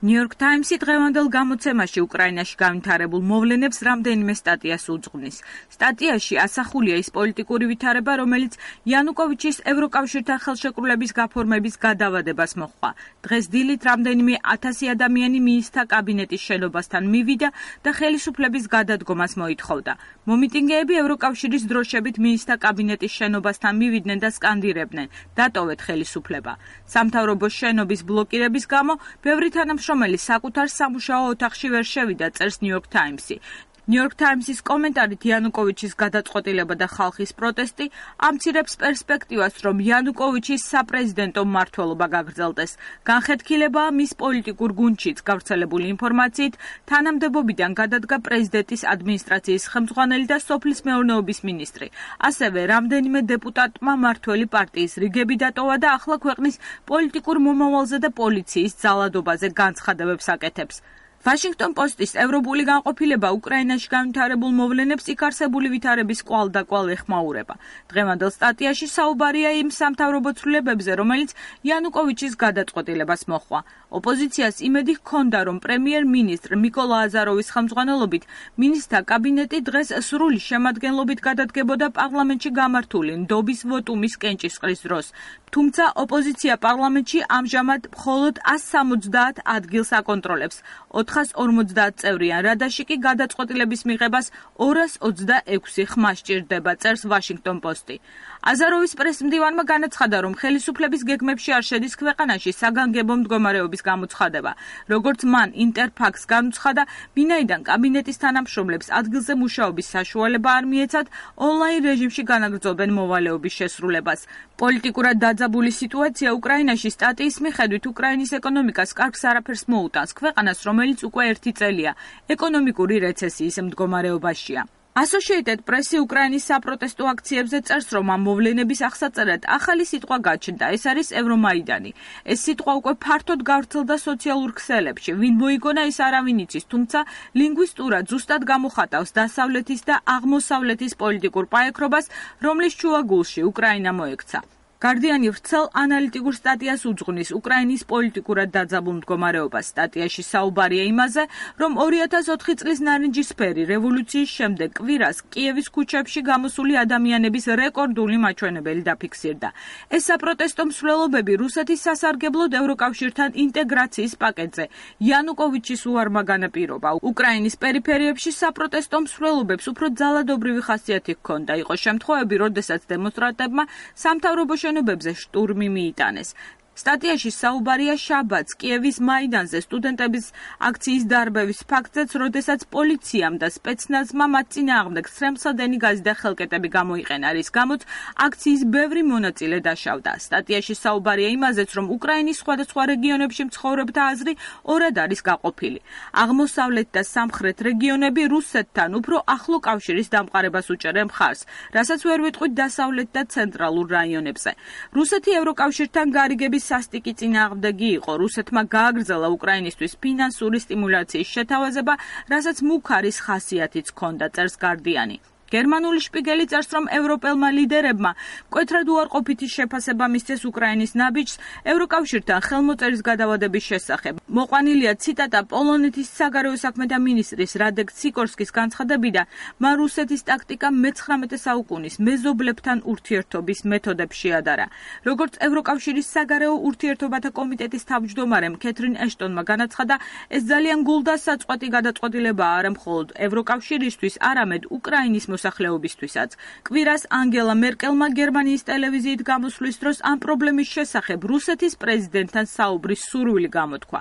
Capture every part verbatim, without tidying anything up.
New York Times-ი დღევანდელ გამოცემაში უკრაინაში განვითარებულ მოვლენებს რამდენიმე სტატიას უძღვნის. სტატიაში ასახულია ის პოლიტიკური ვითარება, რომელიც იანუკოვიჩის ევროკავშირთან ხელშეკრულების გაფორმების გადავადებას მოჰყვა. დღეს დილით რამდენიმე ათასი ადამიანი მინისტრთა კაბინეტის შენობასთან მივიდა და ხელისუფლების გადადგომას მოითხოვდა. მომიტინგეები ევროკავშირის დროშებით მინისტრთა კაბინეტის შენობასთან მივიდნენ და სკანდირებდნენ: დატოვეთ ხელისუფლება. სამთავრობო შენობის ბლოკირების გამო ბევრი თანამშრომელი რომელიც საკუთარ სამუშაო ოთახში ვერ შევიდა, წერს New York Times-ი. New York Times-ის კომენტარით იანუკოვიჩის გადაწყვეტილება და ხალხის პროტესტი ამცირებს პერსპექტივას, რომ იანუკოვიჩის საპრეზიდენტო მმართველობა გაგრძელდეს. განხეთქილებაა მის პოლიტიკურ გუნდშიც გავრცელებული ინფორმაციით, თანამდებობიდან გადადგა პრეზიდენტის ადმინისტრაციის ხელმძღვანელი და სოფლის მეურნეობის მინისტრი. ასევე რამდენიმე დეპუტატმა მმართველი პარტიის რიგები დატოვა და ახლა ქვეყნის პოლიტიკურ მომავალზე და პოლიციის ძალადობაზე განცხადებებს აკეთებს. Washington Post-ის ევროპული განყოფილება უკრაინაში განვითარებულ მოვლენებს იქ არსებული ვითარების კვალ-დაკვალ ეხმაურება. დღევანდელ სტატიაში საუბარია იმ სამთავრობო ცვლილებებზე, რომელიც იანუკოვიჩის გადაწყვეტილებას მოჰყვა. ოპოზიციას იმედი ჰქონდა, რომ პრემიერ-მინისტრ მიკოლა აზაროვის ხელმძღვანელობით მინისტრთა კაბინეტი დღეს სრული შემადგენლობით გადადგებოდა პარლამენტში გამართული ნდობის ვოტუმის კენჭისყრის დროს. თუმცა ოპოზიცია პარლამენტში ამჟამად მხოლოდ ასს სამოცდაათ ადგილს აკონტროლებს. ოთხას ორმოცდაათ წევრიან რადაში კი გადაწყვეტილების მიღებას ორას ოცდაექვსი ხმა სჭირდება, წერს Washington Post-ი. აზაროვის პრესმდივანმა განაცხადა, რომ ხელისუფლების გეგმებში არ შედის ქვეყანაში საგანგებო მდგომარეობის გამოცხადება. როგორც მან ინტერფაქს განუცხადა, ვინაიდან კაბინეტის თანამშრომლებს ადგილზე მუშაობის საშუალება არ მიეცათ, ონლაინ რეჟიმში განაგრძობენ მოვალეობის შესრულებას. პოლიტიკურად დაძაბული სიტუაცია უკრაინაში სტატიის მიხედვით უკრაინის ეკონომიკას კარგს არაფერს მოუტანს, ქვეყანას, რომელიც უკვე ერთი წელია ეკონომიკური რეცესიის მდგომარეობაშია. Associated Press-ი უკრაინის საპროტესტო აქციებზე წერს, რომ ამ მოვლენების აღსაწერად ახალი სიტყვა გაჩნდა, ეს არის ევრომაიდანი. ეს სიტყვა უკვე ფართოდ გავრცელდა სოციალურ ქსელებში, ვინ მოიგონა ის არავინ იცის, თუმცა ლინგვისტურად ზუსტად გამოხატავს დასავლეთის და აღმოსავლეთის პოლიტიკურ პაექრობას, რომლის შუაგულში უკრაინა მოექცა. Guardian-ი ვრცელ ანალიტიკურ სტატიას უძღვნის უკრაინის პოლიტიკურად დაძაბულ მდგომარეობას. სტატიაში საუბარია იმაზე, რომ ორი ათას ოთხი წლის ნარინჯისფერი რევოლუციის შემდეგ კვირას კიევის ქუჩებში გამოსული ადამიანების რეკორდული მაჩვენებელი დაფიქსირდა. ეს საპროტესტო მსვლელობები რუსეთის სასარგებლოდ ევროკავშირთან ინტეგრაციის პაკეტზე იანუკოვიჩის უარმა განაპირობა. უკრაინის პერიფერიებში საპროტესტო მსვლელობებს უფრო ძალადობრივი ხასიათი ჰქონდა. იყო შემთხვევები, როდესაც დემონსტრანტებმა სამთავრობო შენობებზე შტურმი მიიტანეს. სტატიაში საუბარია შაბათს კიევის მაიდანზე სტუდენტების აქციის დარბევის ფაქტზეც, როდესაც პოლიციამ და სპეცნაზმა მათ წინააღმდეგ სრემსადენი გაზი და ხელკეტები გამოიყენა, რის გამოც აქციის ბევრი მონაწილე დაშავდა. სტატიაში საუბარია იმაზეც, რომ უკრაინის სხვადასხვა რეგიონებში მცხოვრებთა აზრი ორად არის გაყოფილი. აღმოსავლეთ და სამხრეთ რეგიონები რუსეთთან უფრო ახლო კავშირის დამყარებას უჭერენ მხარს, რასაც ვერ ვიტყვით დასავლეთ და ცენტრალურ რაიონებზე. რუსეთი ევროკავშირთან გარიგების სასტიკი წინააღმდეგი იყო. რუსეთმა გააგრძელა უკრაინისთვის ფინანსური სტიმულაციის შეთავაზება, რასაც მუქარის ხასიათიც ჰქონდა, წერს Guardian-ი. გერმანული შპიგელი წერს, რომ ევროპელმა ლიდერებმა მკვეთრად უარყოფითი შეფასება მისცეს უკრაინის ნაბიჯს ევროკავშირთან ხელმოწერის გადავადების შესახებ. მოყვანილია ციტატა პოლონეთის საგარეო საქმეთა მინისტრის რადეკ სიკორსკის განცხადებიდან, მან რუსეთის ტაქტიკა მეცხრამეტე საუკუნის მეზობლებთან ურთიერთობის მეთოდებს შეადარა. როგორც ევროკავშირის საგარეო ურთიერთობათა კომიტეტის თავმჯდომარემ კეთრინ ეშტონმა განაცხადა, ეს ძალიან გულდასაწყვეტი გადაწყვეტილებაა არა მხოლოდ ევროკავშირისთვის, არამედ უკრაინის მოსახლეობისთვისაც. კვირას ანგელა მერკელმა გერმანიის ტელევიზიით გამოსვლის დროს ამ პრობლემის შესახებ რუსეთის პრეზიდენტთან საუბრის სურვილი გამოთქვა.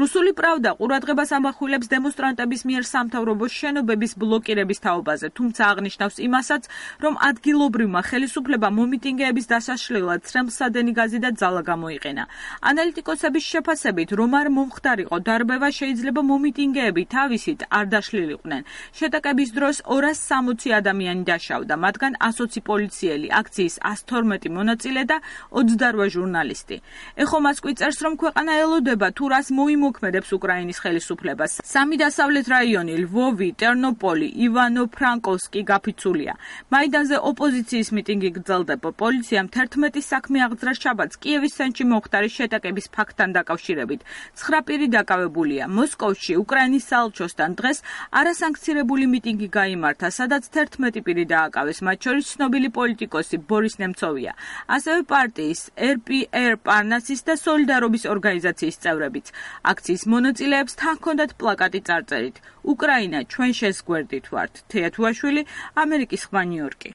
რუსული პრავდა ყურადღებას ამახვილებს დემონსტრანტების მიერ სამთავრობო შენობების ბლოკირების თაობაზე, თუმცა აღნიშნავს იმასაც, რომ ადგილობრივმა ხელისუფლებამ მომიტინგეების დასაშლელად სრემსადენი გაზი და ძალა გამოიყენა. ანალიტიკოსების შეფასებით, რომ არ მომხდარიყო დარბევა, შეიძლება მომიტინგეები თავისით არ დაშლილიყვნენ. შეტაკების დროს ორას სამოცი ადამიანი დაშავდა, მათგან ასოცი პოლიციელი, აქციის ას თორმეტი მონაწილე და ოცდაოთხ ჟურნალისტი. ეხო მასკვი წერს, რომ ქვეყანა ელოდება თუ რას მოიმოქმედებს უკრაინის ხელისუფლებას. სამი დასავლეთ რაიონი, ლვოვი, ტერნოპოლი, ივანო-ფრანკოვსკი გაფიცულია. მაიდანზე ოპოზიციის მიტინგი გრძელდება. პოლიციამ თერთმეტი საქმე აღძრა შაბათს კიევის ცენტრში მომხდარი შეტაკების ფაქტთან დაკავშირებით. ცხრა პირი დაკავებულია. მოსკოვში უკრაინის საელჩოსთან დღეს არასანქცირებული მიტინგი გაიმართა, სადაც თერთმეტი პირი დააკავეს, მათ შორის ცნობილი პოლიტიკოსი ბორის ნემცოვია. ასევე პარტიის er py er პარნასის და სოლიდარობის ორგანიზაციის წევრებიც. აქციის მონაწილეებს თან ჰქონდათ პლაკატი წარწერით: უკრაინა, ჩვენ შენს გვერდით ვართ. თეა თუაშვილი, ამერიკის ხმა, ნიუ-იორკი.